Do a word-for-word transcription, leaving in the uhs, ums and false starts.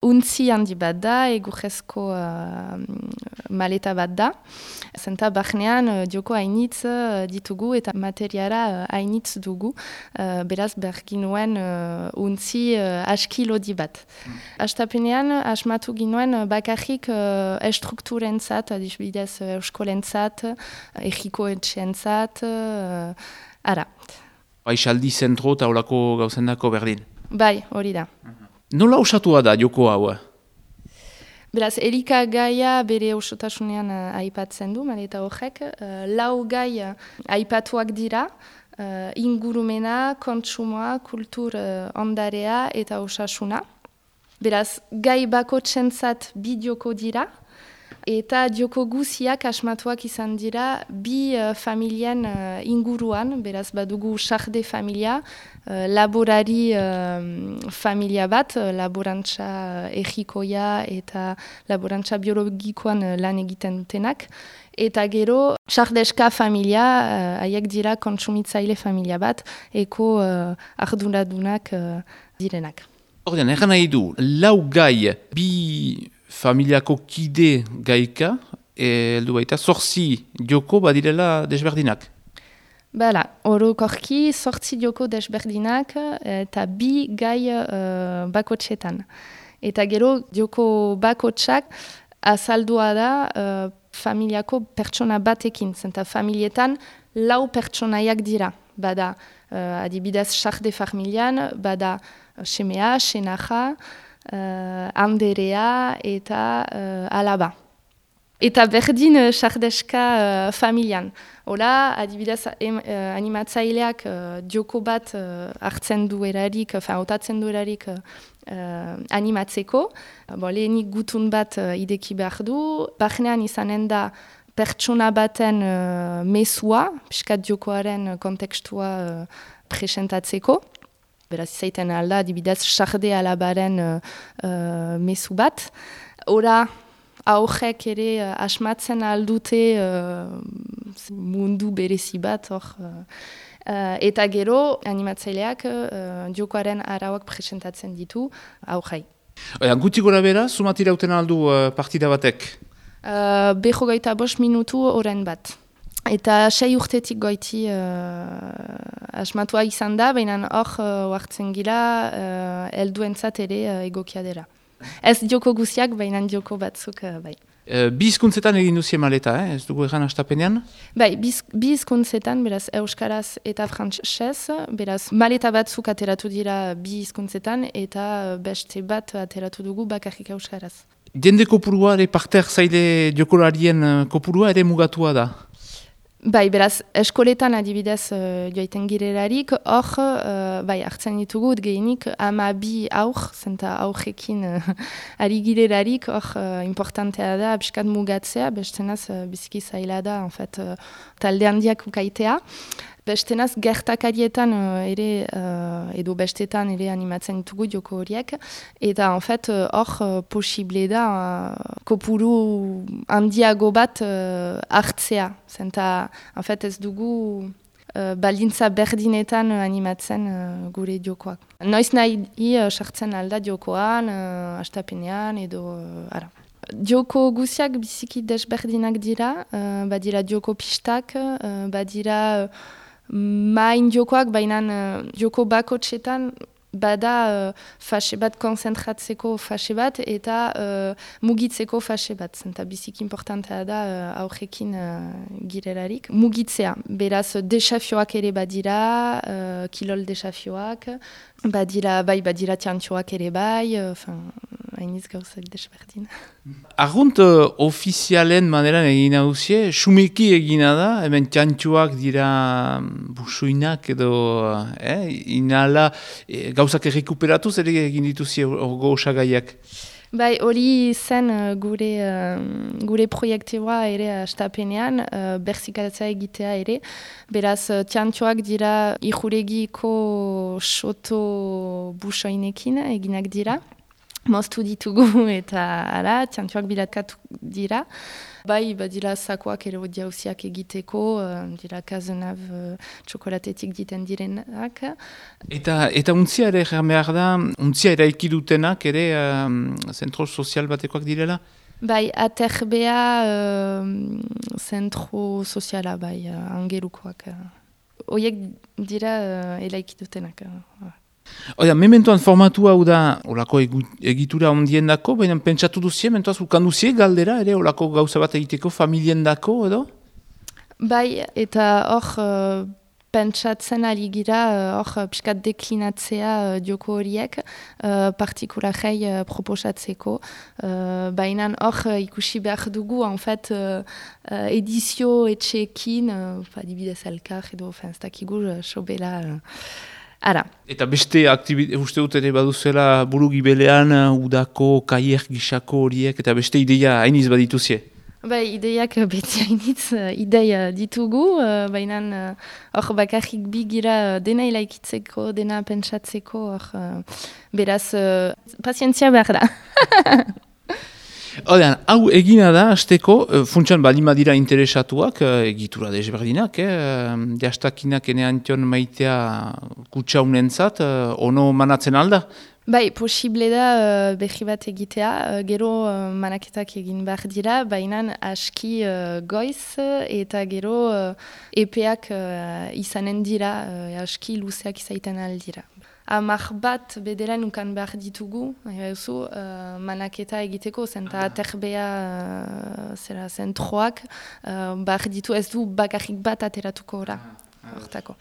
Untzi handi bat da, egurrezko uh, maleta bat da. Zenta barnean uh, joko hainitz uh, ditugu eta materiara uh, hainitz dugu. Uh, beraz berginuen uh, untzi uh, aski lodi bat. Mm. Astapenean asmatu ginuen uh, bakarrik uh, estrukturentzat, adibidez uh, euskolentzat, uh, egiko etxeentzat, uh, ara. Baixaldi zentro eta holako gauzendako berdin. Bai, hori da. Nola osatua da joko hau? Beraz, Erika gaia bere osotasunean uh, aipatzen du, maleta horrek. Uh, lau gai uh, aipatuak dira, uh, ingurumena, kontsumoa, kultur uh, ondarea eta osasuna. Beraz, gai bakotsentzat bi joko dira, eta joko guziak asmatuak izan dira bi uh, familien uh, inguruan, beraz badugu sarde familia, uh, laborari uh, familia bat, uh, laborantza egikoia eta laborantza biologikoan uh, lan egiten dutenak, eta gero sardeska familia, uh, haiek dira kontsumitzaile familia bat, eko uh, arduradunak uh, direnak. Ordean, erran nahi du, lau gai bi familiako kide gaika, heldu baita, zorzi joko badirela desberdinak. Bala, orokorki zortzi joko desberdinak eta bi gai uh, bakotxetan. Eta gero joko bakotxak azaldua da uh, familiako pertsona batekin, zenta familietan lau pertsonaiak dira. Bada, uh, adibidez, sarde familian, bada semea, senaja, Uh, anderea eta uh, alaba. Eta berdin uh, sardeska uh, familian. Hola, adibidez, em, uh, animatzaileak uh, joko bat uh, hartzen du erarik, uh, hautatzen du erarik uh, animatzeko. Uh, bo, lehenik gutun bat uh, ideki behar du. Barnean izanen da pertsona baten uh, mesua, piskat jokoaren kontekstua uh, presentatzeko. Beraz, izaiten alda, adibidez, sarde alabaren uh, uh, mezu bat. Ora, aurrek ere uh, asmatzen aldute uh, mundu berezi bat, hor. Uh, uh, eta gero, animatzaileak uh, jokoaren arauak presentatzen ditu aurrei. Guti gora bera, sumatira uten aldu uh, partida batek? Uh, Beho gaita bost minutu oren bat. Eta sei urtetik goiti uh, asmatua izan da, baina hor uh, hartzen gira uh, helduentzat ere uh, egokia dela. Ez joko guziak, baina joko batzuk uh, bai. Uh, bi hizkuntzetan egin duzie maleta, eh? Ez dugu egan astapenean? Bai, bi hizkuntzetan, beraz euskaraz eta frantsesez, beraz maleta batzuk ateratu dira bi hizkuntzetan eta beste bat ateratu dugu bakarrik euskaraz. Jende kopurua ere parter zaile jokolarien kopurua ere mugatua da? Bai, beraz, eskoletan adibidez uh, joaiten girelarik, hor, uh, bai, hartzen ditugut gehienik ama bi aur, zenta aurrekin uh, ari girelarik, hor, uh, importantea da, abiskat mugatzea, bestenaz, uh, biziki zaila da, en fait, uh, talde handiak ukaitea. Bestenaz, gertakarietan uh, ere, uh, edo bestetan ere animatzen ditugu joko horiek, eta en fait, hor uh, uh, posible da uh, kopuru handiago bat uh, hartzea. Zenta, en fait, ez dugu uh, baldintza berdinetan uh, animatzen uh, gure jokoak. Noiz nahi uh, sartzen alda jokoan, uh, astapenean, edo uh, ara. Joko guziak biziki desberdinak dira, uh, badira joko pistak, uh, badira uh, main jokoak, baina uh, joko bakotxetan bada uh, fase bat konzentratzeko fase bat eta uh, mugitzeko fase bat. Zenta biziki importantea da uh, aurrekin uh, girelarik. Mugitzea, beraz desafioak ere badira, uh, kilol desafioak, badira, bai badira tiantxoak ere bai, enfin, uh, hainiz gauzak desberdin. Argunt uh, ofizialen maneran egin hauzie, sumeki egina da, hemen txantxuak dira busuinak edo eh, inala eh, gauzak errekuperatuz ere egin dituzie orgo osagaiak. Bai, hori zen uh, gure, uh, gure proiektiboa ere astapenean, uh, berzikalatzea egitea ere. Beraz, uh, txantxoak dira ijuregiko soto busoinekin eginak dira. moztu ditugu eta ara, txantxoak bilatkatu dira. Bai, badira zakoak ere jauziak egiteko, uh, dira kazenab uh, txokolatetik diten direnak. Eta, eta untzia ere egan behar da, untzia eraiki dutenak ere um, zentro sozial batekoak direla? Bai, aterbea uh, zentro soziala, bai, uh, angerukoak. Uh. Oiek dira uh, eraiki dutenak. Uh. Oida, mementoan formatu hau da olako egitura ondien dako, baina pentsatu duzie, mentoaz ukanduzie galdera, ere olako gauza bat egiteko familien dako, edo? Bai, eta hor uh, pentsatzen ari gira, hor uh, piskat deklinatzea uh, dioko horiek, uh, partikularei uh, proposatzeko. Uh, baina hor uh, ikusi behar dugu, en fait, uh, uh, edizio etxeekin, uh, adibidez elkar edo, ez dakigu, uh, sobela... Uh, Ara. Eta beste aktibitate, uste dut ere baduzela buru gibelean, udako, kaier gisako horiek, eta beste ideia hainiz badituzie? Bai, ideiak beti hainitz, ideia ditugu, baina hor bakarrik bigira dena ilaikitzeko, dena pentsatzeko, hor beraz, pazientzia behar da. Odean, hau egina da, azteko, funtsan balima dira interesatuak, egitura desberdinak, eh? Jastakinak eneantion maitea kutsaunentzat, ono manatzen alda? Bai, posible da uh, berri bat egitea, uh, gero uh, manaketak egin behar dira, baina aski uh, goiz eta gero uh, epeak uh, izanen dira, uh, aski luzeak izaiten aldira. Amar bat bederen ukan behar ditugu, ezu, uh, manaketa egiteko, zenta aterbea uh, zera zentroak, uh, behar ditu ez du bakarrik bat ateratuko ora, hortako.